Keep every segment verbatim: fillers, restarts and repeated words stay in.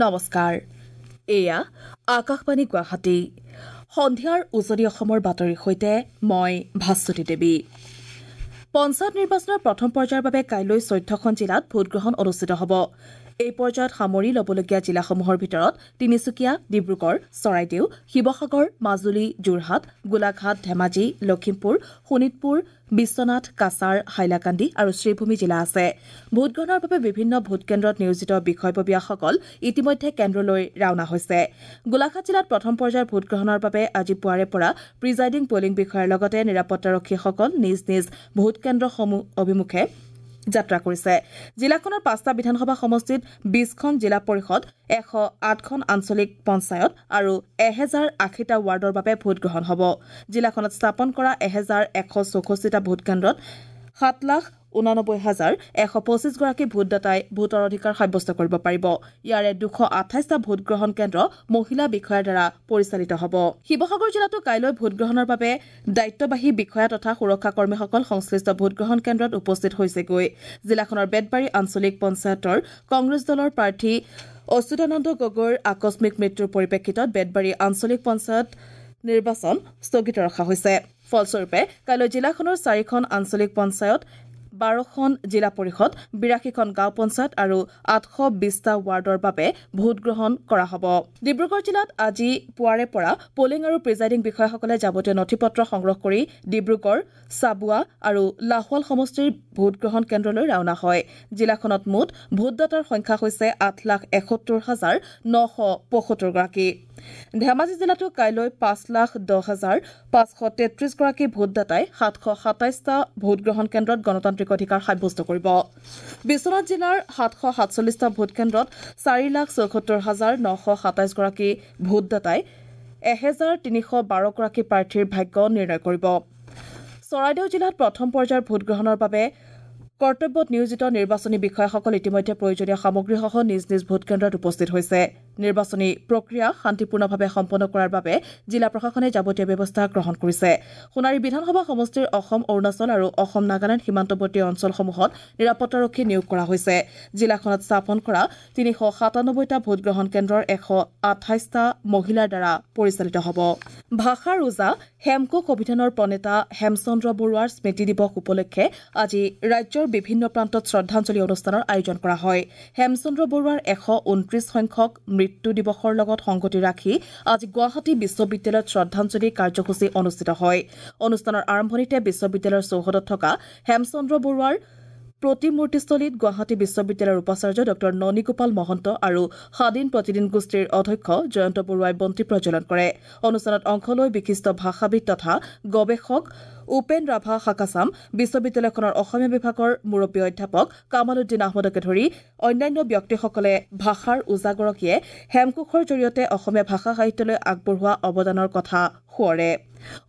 নমস্কাৰ, এয়া আকাশবাণী গুৱাহাটী। সন্ধিয়াৰ উজনি অসমৰ বাতৰিৰ সৈতে মই ভাস্বতী দেৱী। পঞ্চায়ত নিৰ্বাচনৰ প্ৰথম পৰ্যায়ৰ বাবে কাইলৈ চৈধ্যখন জিলাত ভোটগ্ৰহণ অনুষ্ঠিত হ'ব। এই পৰ্যায়ত সামৰি ল'বলগীয়া জিলাসমূহৰ ভিতৰত তিনিচুকীয়া, ডিব্ৰুগড়, চৰাইদেউ, শিৱসাগৰ, মাজুলী, যোৰহাট, গোলাঘাট, ধেমাজি, লখিমপুৰ, শোণিতপুৰ, বিশ্বনাথ, কাছাৰ, হাইলাকান্দি আৰু শ্ৰীভূমি জিলা আছে। ভোটগ্ৰহণৰ বাবে বিভিন্ন ভোটকেন্দ্ৰত নিয়োজিত বিষয়ববীয়াসকল ইতিমধ্যে কেন্দ্ৰলৈ ৰাওনা হৈছে। গোলাঘাট জিলাত প্ৰথম পৰ্যায়ৰ ভোটগ্ৰহণৰ বাবে আজি পুৱাৰে পৰা প্ৰিজাইডিং পলিং বিষয়াৰ লগতে নিৰাপত্তাৰক্ষীসকল নিজ নিজ ভোটকেন্দ্ৰসমূহ অভিমুখে যাত্ৰা কৰিছে। জিলাখনৰ পাঁচটা বিধানসভা সমষ্টিত বিশখন জিলা পৰিষদ, এশ আঠখন আঞ্চলিক পঞ্চায়ত আৰু এহেজাৰ আশীটা ৱাৰ্ডৰ বাবে ভোটগ্ৰহণ হ'ব। জিলাখনত স্থাপন কৰা এহেজাৰ এশ চৌষষ্ঠিটা ভোটকেন্দ্ৰত সাত লাখ ঊনানব্বৈ হাজাৰ এশ পঁচিছগৰাকী ভোটদাতাই ভোটৰ অধিকাৰ সাব্যস্ত কৰিব পাৰিব। ইয়াৰে দুশ আঠাইছটা ভোটগ্ৰহণ কেন্দ্ৰ মহিলা বিষয়াৰ দ্বাৰা পৰিচালিত হ'ব। শিৱসাগৰ জিলাতো কাইলৈ ভোটগ্ৰহণৰ বাবে দায়িত্ববাহী বিষয়া তথা সুৰক্ষা কৰ্মীসকল সংশ্লিষ্ট ভোটগ্ৰহণ কেন্দ্ৰত উপস্থিত হৈছেগৈ। জিলাখনৰ বেতবাৰী আঞ্চলিক পঞ্চায়তৰ কংগ্ৰেছ দলৰ প্ৰাৰ্থী অচ্যুতানন্দ গগৈৰ আকস্মিক মৃত্যুৰ পৰিপ্ৰেক্ষিতত বেতবাৰী আঞ্চলিক পঞ্চায়ত নিৰ্বাচন স্থগিত ৰখা হৈছে। ফলস্বৰূপে কাইলৈ জিলাখনৰ চাৰিখন আঞ্চলিক পঞ্চায়ত, বাৰখন জিলা পৰিষদ, বিৰাশীখন গাঁও পঞ্চায়ত আৰু আঠশ বিশটা ৱাৰ্ডৰ বাবে ভোটগ্ৰহণ কৰা হ'ব। ডিব্ৰুগড় জিলাত আজি পুৱাৰে পৰা পলিং আৰু প্ৰিজাইডিং বিষয়াসকলে যাৱতীয় নথি পত্ৰ সংগ্ৰহ কৰি ডিব্ৰুগড়, চাবুৱা আৰু লাহোৱাল সমষ্টিৰ ভোটগ্ৰহণ কেন্দ্ৰলৈ ৰাওনা হয়। জিলাখনত মুঠ ভোটদাতাৰ সংখ্যা হৈছে আঠ লাখ এসত্তৰ হাজাৰ নশ পঁয়সত্তৰগৰাকী। ধেমাজি জিলাতো কাইলৈ পাঁচ লাখ দহ হাজাৰ পাঁচশ তেত্ৰিছগৰাকী ভোটদাতাই সাতশ সাতাইছটা ভোটগ্ৰহণ কেন্দ্ৰত গণতান্ত্ৰিক অধিকাৰ সাব্যস্ত কৰিব। বিশ্বনাথ জিলাৰ সাতশ সাতচল্লিছটা ভোটকেন্দ্ৰত চাৰি লাখ চৌসত্তৰ হাজাৰ নশ সাতাইছগৰাকী ভোটদাতাই এহেজাৰ তিনিশ বাৰগৰাকী প্ৰাৰ্থীৰ ভাগ্য নিৰ্ণয় কৰিব। চৰাইদেউ জিলাত প্ৰথম পৰ্যায়ৰ ভোটগ্ৰহণৰ বাবে কৰ্তব্যত নিয়োজিত নিৰ্বাচনী বিষয়াসকল ইতিমধ্যে প্ৰয়োজনীয় সামগ্ৰীসহ নিজ নিজ ভোটকেন্দ্ৰত উপস্থিত হৈছে। নিৰ্বাচনী প্ৰক্ৰিয়া শান্তিপূৰ্ণভাৱে সম্পন্ন কৰাৰ বাবে জিলা প্ৰশাসনে যাৱতীয় ব্যৱস্থা গ্ৰহণ কৰিছে। সোণাৰী বিধানসভা সমষ্টিৰ অসম, অৰুণাচল আৰু অসম নাগালেণ্ড সীমান্তৱৰ্তী অঞ্চলসমূহত নিৰাপত্তাৰক্ষী নিয়োগ কৰা হৈছে। জিলাখনত স্থাপন কৰা তিনিশ সাতানব্বৈটা ভোটগ্ৰহণ কেন্দ্ৰৰ এশ আঠাইছটা মহিলাৰ দ্বাৰা পৰিচালিত হ'ব। ভাষাৰ ওজা হেমকোষ অভিধানৰ প্ৰণেতা হেমচন্দ্ৰ বৰুৱাৰ স্মৃতি দিৱস উপলক্ষে আজি ৰাজ্যৰ বিভিন্ন প্ৰান্তত শ্ৰদ্ধাঞ্জলি অনুষ্ঠানৰ আয়োজন কৰা হয়। হেমচন্দ্ৰ বৰুৱাৰ এশ ঊনত্ৰিশ সংখ্যক মৃত্যু দিৱসৰ লগত সংগতি ৰাখি আজি গুৱাহাটী বিশ্ববিদ্যালয়ত শ্ৰদ্ধাঞ্জলি কাৰ্যসূচী অনুষ্ঠিত হয়। অনুষ্ঠানৰ আৰম্ভণিতে বিশ্ববিদ্যালয়ৰ চৌহদত থকা হেমচন্দ্ৰ বৰুৱাৰ প্ৰতিমূৰ্তিস্থলীত গুৱাহাটী বিশ্ববিদ্যালয়ৰ উপাচাৰ্য ডঃ ননীগোপাল মহন্ত আৰু সাদিন প্ৰতিদিন গোষ্ঠীৰ অধ্যক্ষ জয়ন্ত বৰুৱাই বন্তি প্ৰজ্বলন কৰে। অনুষ্ঠানত অংশ লৈ বিশিষ্ট ভাষাবিদ তথা গৱেষক উপেন ৰাভা হাকাচাম, বিশ্ববিদ্যালয়খনৰ অসমীয়া বিভাগৰ মুৰব্বী অধ্যাপক কামালুদ্দিন আহমদকে ধৰি অন্যান্য ব্যক্তিসকলে ভাষাৰ ওজাগৰাকীয়ে হেমকোষৰ জৰিয়তে অসমীয়া ভাষা সাহিত্যলৈ আগবঢ়োৱা অৱদানৰ কথা সোঁৱৰে।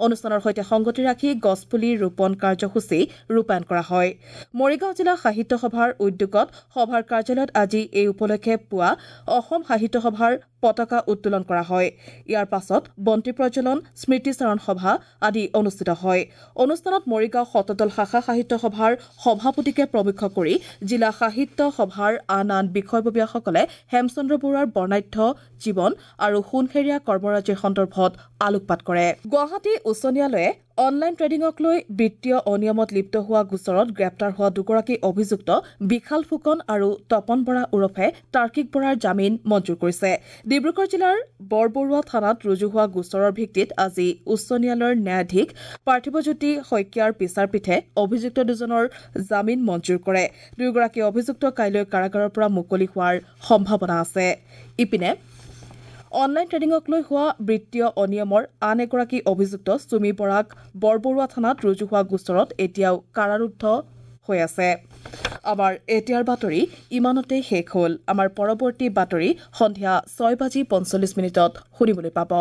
অনুষ্ঠানৰ সৈতে সংগতি ৰাখি গছপুলি ৰোপণ কাৰ্যসূচী ৰূপায়ণ কৰা হয়। মৰিগাঁও জিলা সাহিত্য সভাৰ উদ্যোগত সভাৰ কাৰ্যালয়ত আজি এই উপলক্ষে পুৱা অসম সাহিত্য সভাৰ পতাকা উত্তোলন কৰা হয়। ইয়াৰ পাছত বন্তি প্ৰজ্বলন, স্মৃতিচাৰণ সভা আদি অনুষ্ঠিত হয়। অনুষ্ঠানত মৰিগাঁও শতদল শাখা সাহিত্য সভাৰ সভাপতিকে প্ৰমুখ্য কৰি জিলা সাহিত্য সভাৰ আন আন বিষয়ববীয়াসকলে হেমচন্দ্ৰ বৰুৱাৰ বৰ্ণাঢ্য জীৱন আৰু সোণসেৰীয়া কৰ্মৰাজিৰ সন্দৰ্ভত আলোকপাত কৰে। গুৱাহাটী উচ্চ ন্যায়ালয়ে অনলাইন ট্ৰেডিঙক লৈ বিত্তীয় অনিয়মত লিপ্ত হোৱা গোচৰত গ্ৰেপ্তাৰ হোৱা দুগৰাকী অভিযুক্ত বিশাল ফুকন আৰু তপন বৰা ওৰফে তাৰ্কিক বৰাৰ জামিন মঞ্জুৰ কৰিছে। ডিব্ৰুগড় জিলাৰ বৰবৰুৱা থানাত ৰুজু হোৱা গোচৰৰ ভিত্তিত আজি উচ্চ ন্যায়ালয়ৰ ন্যায়াধীশ পাৰ্থিৱজ্যোতি শইকীয়াৰ বিচাৰপীঠে অভিযুক্ত দুজনৰ জামিন মঞ্জুৰ কৰে। দুয়োগৰাকী অভিযুক্ত কাইলৈ কাৰাগাৰৰ পৰা মুকলি হোৱাৰ সম্ভাৱনা আছে। ইপিনে অনলাইন ট্ৰেডিঙক লৈ হোৱা বিত্তীয় অনিয়মৰ আন এগৰাকী অভিযুক্ত চুমি বৰাক বৰবৰুৱা থানাত ৰুজু হোৱা গোচৰত এতিয়াও কাৰাৰুদ্ধ হৈ আছে। আমাৰ এতিয়াৰ বাতৰি ইমানতে শেষ হ'ল। আমাৰ পৰৱৰ্তী বাতৰি সন্ধিয়া ছয় বাজি পঞ্চল্লিছ মিনিটত শুনিবলৈ পাব।